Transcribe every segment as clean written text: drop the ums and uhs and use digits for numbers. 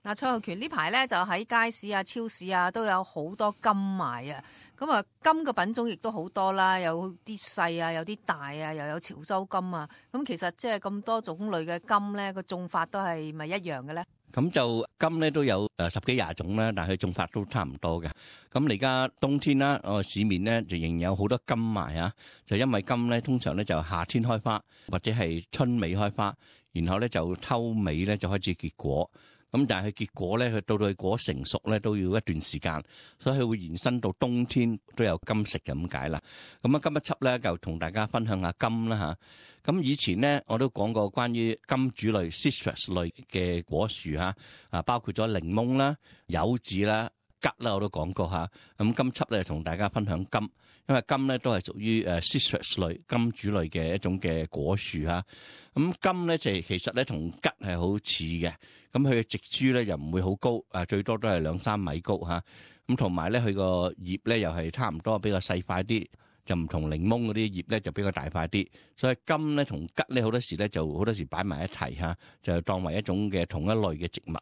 嗱，蔡浩權呢排咧就喺街市啊、超市啊都有好多柑賣啊。咁啊，柑嘅品種亦都好多啦，有啲細啊，有啲大啊，又有潮州柑啊。咁其實即係咁多種類嘅柑咧，個種法都係咪一樣嘅咧？咁就柑咧都有十幾廿種啦，但係佢種法都差唔多嘅。咁而家冬天啦，市面咧就仍然有好多柑賣啊。就因為柑咧通常咧就夏天開花，或者係春尾開花，然後咧就秋尾咧就開始結果。咁但係佢結果咧，佢到佢果成熟咧都要一段時間，所以佢會延伸到冬天都有柑食咁解啦。咁啊，今一輯咧就同大家分享下柑啦嚇。咁以前咧我都講過關於柑主類 citrus 類嘅果樹嚇，包括咗檸檬啦、柚子啦、桔啦，我都講過嚇。咁今輯咧同大家分享柑，因為柑咧都係屬於citrus 類柑主類嘅一種嘅果樹嚇。咁柑咧就其實咧同桔係好似嘅。咁佢嘅植株咧又唔會好高，最多都係2-3米高嚇。咁同埋咧佢個葉咧又係差唔多比較細塊啲，就唔同檸檬嗰啲葉咧就比較大塊啲。所以柑咧同桔咧好多時咧就好多時擺埋一齊嚇，就當為一種嘅同一類嘅植物。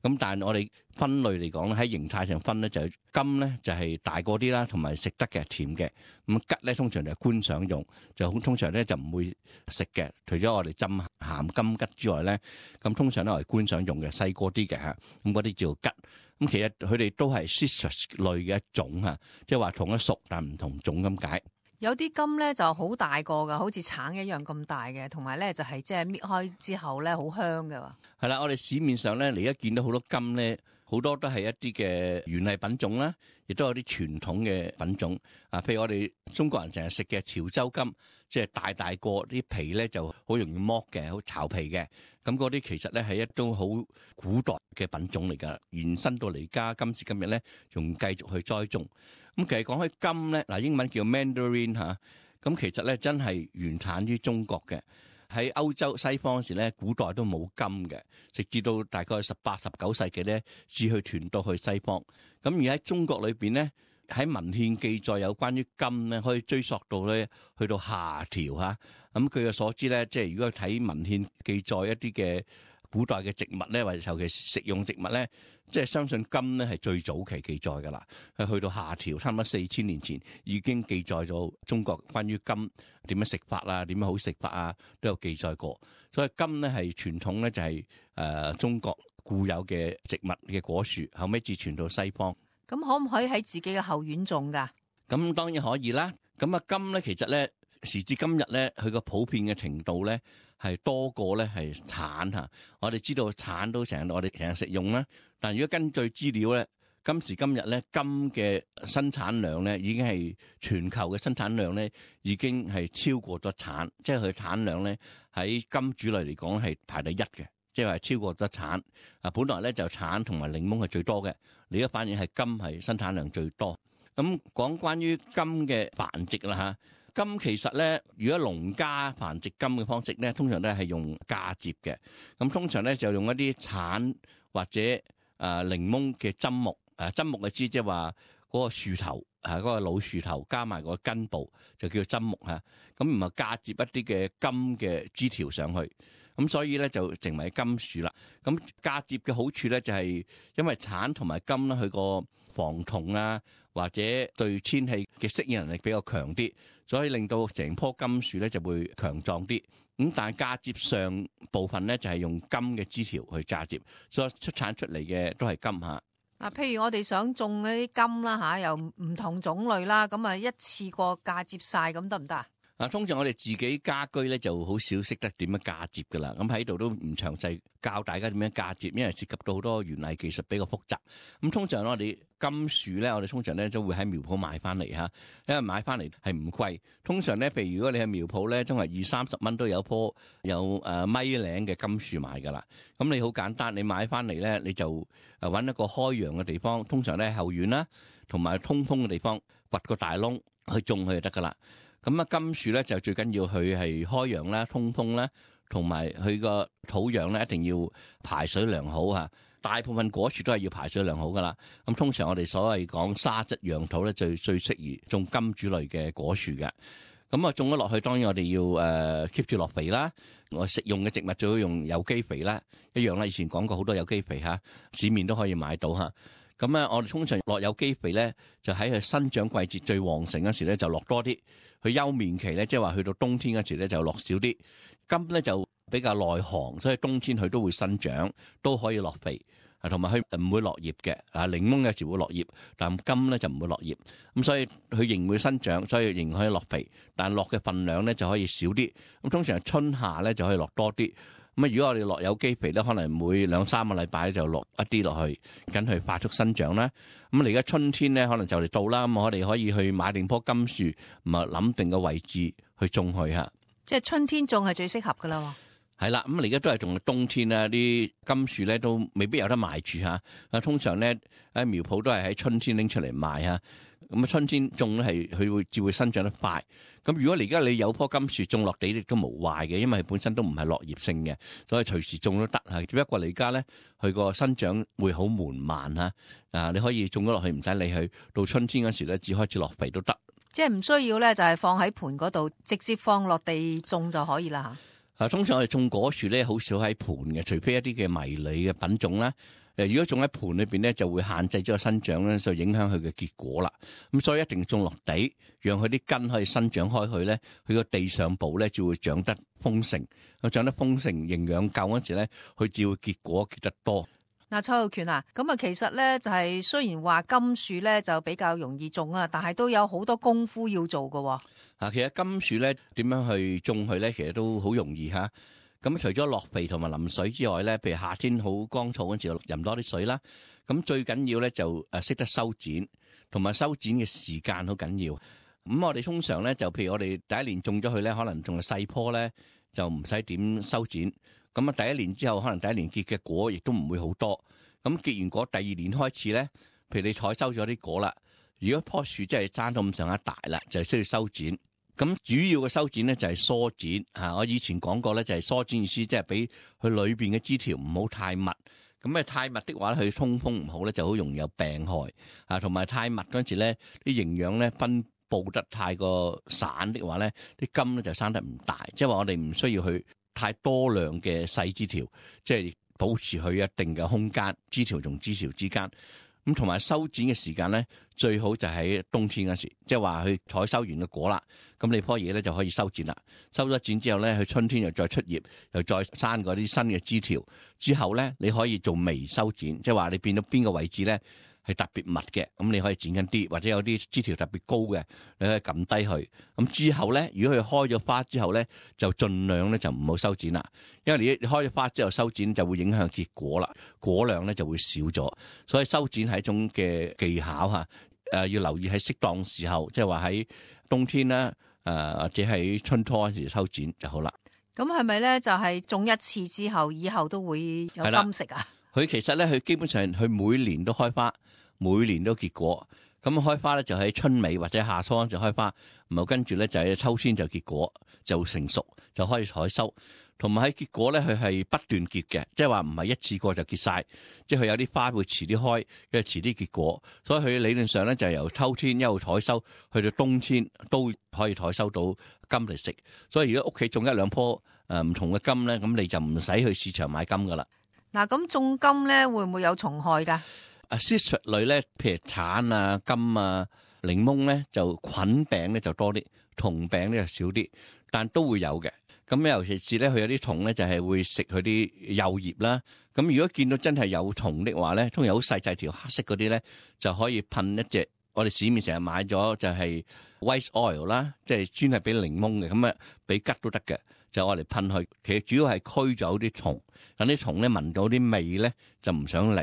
咁但係我哋分類嚟講咧，喺形態上分咧就係柑咧就係大個啲啦，同埋食得嘅甜嘅。咁桔咧通常就係觀賞用，就通常咧就唔會食嘅。除咗我哋浸鹹柑桔之外咧，咁通常都係觀賞用嘅，細個啲嘅嚇。咁嗰啲叫桔。咁其實佢哋都係 citrus 類嘅一種嚇，即係話同一屬但唔同種咁解。有啲柑咧就好大個噶，好似橙一樣咁大嘅，同埋咧就係即係搣開之後咧好香嘅。係啦，我哋市面上咧，你而家見到好多柑咧，好多都係一啲嘅園藝品種啦，亦都有啲傳統嘅品種。譬如我哋中國人成日食嘅潮州柑，即係大個啲皮咧就好容易剝嘅，好巢皮嘅。咁嗰啲其實咧係一種好古代嘅品種嚟㗎，延伸到嚟而家今時今日咧，仲繼續去栽種。咁其實講開柑咧，嗱英文叫 Mandarin 嚇，咁其實咧真係原產於中國嘅。喺歐洲西方嗰時咧，古代都冇柑嘅，直至到大概18、19世紀咧，至去傳到去西方。咁而喺中國裏邊咧，喺文獻記載有關於柑咧，可以追溯到咧去到夏朝嚇。咁據我所知咧，即係如果睇文獻記載一啲嘅古代嘅植物咧，或者尤其食用植物咧，即係相信柑咧係最早期記載㗎啦。係去到夏朝，差唔多4000年前已經記載咗中國關於柑點樣食法啊，點樣好食法啊，都有記載過。所以柑咧係傳統咧就係中國固有嘅植物嘅果樹，後尾至傳到西方。咁可唔可以喺自己嘅後院種㗎？咁當然可以啦。咁柑咧其實咧時至今日咧，佢個普遍嘅程度咧係多過咧係橙嚇。我哋知道橙都我哋成日食用啦，但如果根據資料咧，今時今日咧柑嘅生產量咧已經係全球嘅生產量咧已經係超過咗橙，即係佢產量咧喺柑主類嚟講係排第一嘅，即係話超過咗橙。本來咧就橙同埋檸檬係最多嘅，而家反而係柑係生產量最多。咁講關於柑嘅繁殖啦嚇。柑其實咧，如果農家繁殖柑嘅方式咧，通常都係用嫁接嘅。咁通常咧就用一啲橙或者檸檬嘅針木。針木嘅枝即係話嗰個樹頭嗰個老樹頭加埋個根部就叫針木嚇。咁唔係嫁接一啲嘅柑嘅枝條上去。咁所以咧就成為柑樹啦。咁嫁接嘅好處咧就係因為橙同埋柑咧，佢個防蟲啊或者對天氣嘅適應能力比較強啲，所以令到成棵柑樹咧就會強壯啲。咁但係嫁接上部分咧就係用柑嘅枝條去嫁接，所以出產出嚟嘅都係柑嚇。譬如我哋想種嗰啲柑啦嚇，又唔同種類啦，咁啊一次過嫁接晒咁得唔得啊？通常我哋自己家居咧就好少識得點樣嫁接噶啦，咁喺度都唔詳細教大家點樣嫁接，因為涉及到好多園藝技術比較複雜。咁通常我哋柑樹咧，我哋通常咧都會喺苗圃買翻嚟嚇，因為買翻嚟係唔貴。通常咧，譬如如果你喺苗圃咧，都係20-30蚊都有棵有米零嘅柑樹買噶啦。咁你好簡單，你買翻嚟咧，你就揾一個開陽嘅地方，通常咧後院啦，同埋通風嘅地方，掘個大窿去種佢就得噶啦。咁柑樹咧就最緊要佢係開陽啦、通風啦，同埋佢個土壤咧一定要排水良好嚇。大部分果樹都係要排水良好噶啦。咁通常我哋所謂講沙質養土咧，最適宜種柑主類嘅果樹嘅。咁啊種咗落去，當然我哋要keep 住落肥啦。我食用嘅植物最好用有機肥啦，一樣啦。以前講過好多有機肥嚇，市面都可以買到嚇。咁咧，我哋通常落有機肥咧，就喺佢生長季節最旺盛嗰時咧，就落多啲；佢休眠期咧，即係話去到冬天嗰時咧，就落少啲。柑咧就比較耐寒，所以冬天佢都會生長，都可以落肥。同埋佢唔會落葉嘅。檸檬有時會落葉，但柑咧就唔會落葉。咁所以佢仍會生長，所以仍可以落肥，但落嘅份量咧就可以少啲。咁通常春夏咧就可以落多啲。咁如果我哋落有機肥咧，可能每2-3個禮拜就落一啲落去，等佢快速生長啦。咁而家春天咧，可能就嚟到啦。咁我哋可以去買定棵柑樹，咁啊諗定個位置去種佢嚇。即係春天種係最適合噶啦。係啦，咁而家都係仲係冬天啦，啲柑樹咧都未必有得賣住嚇。通常咧喺苗圃都係喺春天拎出嚟賣嚇。咁啊春天種咧係佢至會生長得快。咁如果而家你有棵柑樹種落地亦都無壞嘅，因為佢本身都唔係落葉性嘅，所以隨時種都得嚇。只不過你而家咧佢個生長會好緩慢嚇。你可以種咗落去唔使理佢，到春天嗰時咧只開始落肥都得。即係唔需要咧，就係放喺盆嗰度，直接放落地種就可以啦。通常我哋種果樹咧，好少喺盆嘅，除非一啲嘅迷你嘅品種啦。如果種喺盆裏邊咧，就會限制咗個生長咧，就影響佢嘅結果啦。咁所以一定要種落地，讓佢啲根可以生長開去咧，佢個地上部咧就會長得豐盛。佢長得豐盛，營養夠嗰時咧，佢就會結果結得多。嗱，蔡浩權啊，咁啊，其實咧就係雖然話柑樹咧就比較容易種啊，但係都有好多功夫要做噶。其實柑樹咧點樣去種佢咧，其實都好容易嚇。咁除咗落肥同埋淋水之外咧，譬如夏天好乾燥嗰陣時，淋多啲水啦。咁最緊要咧就識得修剪，同埋修剪嘅時間好緊要。咁我哋通常咧就譬如我哋第一年種咗佢咧，可能仲係細棵咧，就唔使點修剪。咁啊第一年之後，可能第一年結嘅果亦都唔會好多。咁結完果，第二年開始咧，譬如你採收咗啲果啦，如果棵樹真係爭到咁上下大啦，就係需要修剪。咁主要嘅修剪咧就係疏剪嚇。我以前講過咧，就係疏剪意思，即係俾佢裏邊嘅枝條唔好太密。咁太密的話咧，佢通風唔好咧，就好容易有病害啊。同埋太密嗰陣時咧，啲營養咧分佈得太過散的話咧，啲柑咧就生得唔大。即係話我哋唔需要去太多量嘅細枝條，即係保持佢一定嘅空間，枝條同枝條之間。咁同埋修剪嘅時間咧，最好就喺冬天嗰時，即係話佢採收完嘅果啦，咁你棵嘢咧就可以修剪啦。修咗剪之後咧，佢春天又再出葉，又再生嗰啲新嘅枝條。之後咧，你可以做微修剪，即係話你變到邊個位置咧係特別密嘅，咁你可以剪緊啲，或者有啲枝條特別高嘅，你可以撳低佢。咁之後咧，如果佢開咗花之後咧，就盡量咧就唔好修剪啦，因為你開咗花之後修剪就會影響結果啦，果量咧就會少咗。所以修剪係一種嘅技巧嚇，要留意喺適當時候，即係話喺冬天啦，或者喺春初嗰時修剪就好啦。咁係咪咧就係種一次之後，以後都會有柑食啊？佢其實咧，佢基本上佢每年都開花，每年都結果。咁開花咧就喺春尾或者夏初就開花，然後跟住咧就喺秋天就結果，就成熟就可以採收。同埋喺結果咧，佢係不斷結嘅，即係話唔係一次過就結晒，即係佢有啲花會遲啲開，跟住遲啲結果。所以佢理論上咧就係由秋天一路採收，去到冬天都可以採收到柑嚟食。所以如果屋企種一兩棵唔同嘅柑咧，咁你就唔使去市場買柑噶啦。嗱，咁種柑咧會唔會有蟲害㗎？citrus 類咧，譬如橙啊、柑啊、檸檬咧，就菌病咧就多啲，蟲病咧就少啲，但都會有嘅。咁尤其是咧，佢有啲蟲咧就係會食佢啲幼葉啦。咁如果見到真係有蟲的話咧，通常好細細條黑色嗰啲咧，就可以噴一隻。我哋市面成日買咗就係 white oil 啦，即係專係俾檸檬嘅，咁俾桔都得嘅，就我哋噴去。其實主要係驅走啲蟲，等啲蟲咧聞到啲味咧就唔想嚟。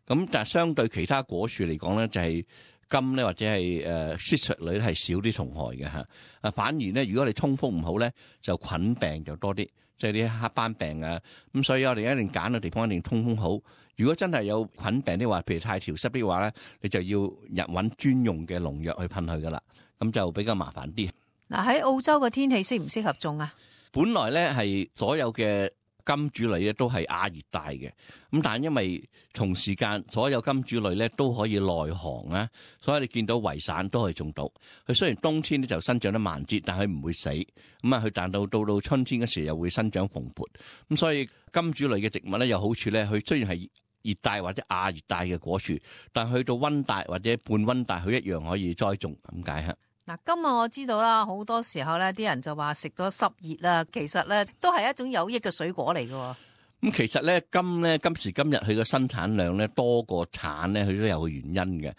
咁但係相對其他果樹嚟講咧，就係柑咧或者係citrus類係少啲蟲害嘅嚇。反而咧，如果你通風唔好咧，就菌病就多啲，即係啲黑斑病啊。咁所以我哋一定揀嘅地方一定通風好。如果真係有菌病的話，譬如太潮濕的話咧，你就要揾專用嘅農藥去噴佢噶啦，咁就比較麻煩啲。嗱，喺澳洲嘅天氣適唔適合種啊？本來咧係所有嘅金主類咧都係亞熱帶嘅，咁但係因為同時間所有金主類咧都可以內航啊，所以你見到圍散都可以種到。佢雖然冬天咧就生長得慢啲，但係佢唔會死。咁啊，佢但到春天嗰時又會生長蓬勃。咁所以金主類嘅植物咧有好處咧，佢雖然係熱帶或者亞熱帶嘅果樹，但去到溫帶或者半溫帶，佢一樣可以栽種咁解嚇。嗱，金啊，我知道啦，好多時候咧，啲人就話食咗濕熱啦，其實咧都係一種有益嘅水果嚟嘅。咁其實咧今時今日佢個生產量咧多過產咧，佢都有個原因嘅。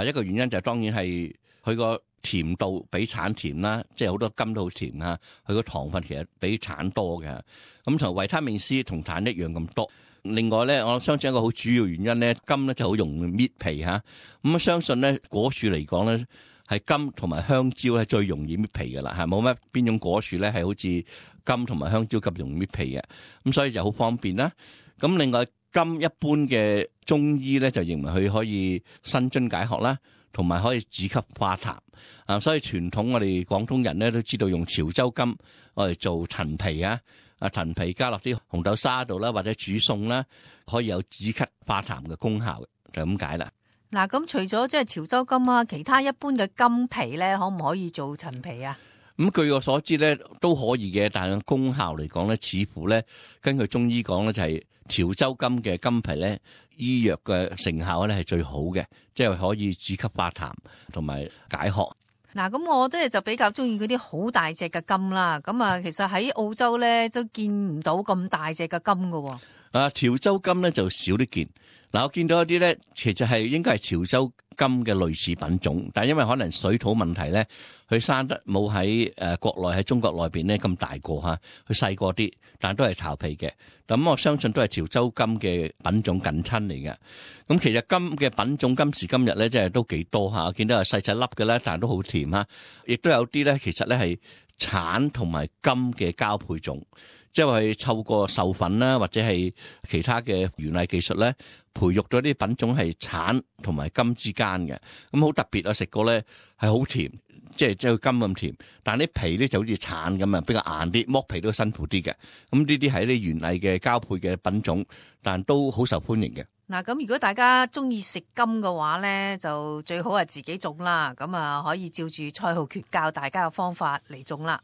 一個原因就當然係佢個甜度比產甜啦，即係好多金都好甜啊。佢個糖分其實比產多嘅。咁同維他命 C 同產一樣咁多。另外咧，我相信一個好主要原因咧，金咧就好容易搣皮嚇。咁相信咧果樹嚟講咧，係金同埋香蕉係最容易搣皮嘅啦，係冇乜邊種果樹咧係好似金同埋香蕉咁容易搣皮嘅，咁所以就好方便啦。咁另外金一般嘅中醫咧就認為佢可以生津解渴啦，同埋可以止咳化痰啊。所以傳統我哋廣東人咧都知道用潮州金我哋做陳皮啊，陳皮加落啲紅豆沙度啦，或者煮餸啦，可以有止咳化痰嘅功效嘅，就咁解啦。嗱，咁除咗即係潮州金啊，其他一般嘅金皮咧，可唔可以做陳皮啊？咁據我所知咧，都可以嘅，但係功效嚟講咧，似乎咧根據中醫講咧，就係潮州金嘅金皮咧，醫藥嘅成效咧係最好嘅，即係可以止咳化痰同埋解渴。嗱，咁我即係就比較中意嗰啲好大隻嘅金啦。咁啊，其實喺澳洲咧都見唔到咁大隻嘅金㗎喎。潮州金咧就少啲見。嗱，我見到一啲咧，其實係應該係潮州金嘅類似品種，但係因為可能水土問題咧，佢生得冇喺國內喺中國內邊咧咁大個嚇，佢細個啲，但都係巢皮嘅。咁我相信都係潮州金嘅品種近親嚟嘅。咁其實金嘅品種今時今日咧，真係都幾多嚇，我見到係細細粒嘅啦，但係都好甜嚇。亦都有啲咧，其實咧係橙同埋金嘅交配種。即係透過授粉啦，或者係其他嘅園藝技術咧，培育咗啲品種係橙同埋金之間嘅，咁好特別啊！食過咧係好甜，即係金咁甜，但係啲皮咧就好似橙咁啊，比較硬啲，剝皮都辛苦啲嘅。咁呢啲係啲園藝嘅交配嘅品種，但都好受歡迎嘅。嗱，咁如果大家中意食金嘅話咧，就最好係自己種啦。咁啊，可以照住蔡浩權教大家嘅方法嚟種啦。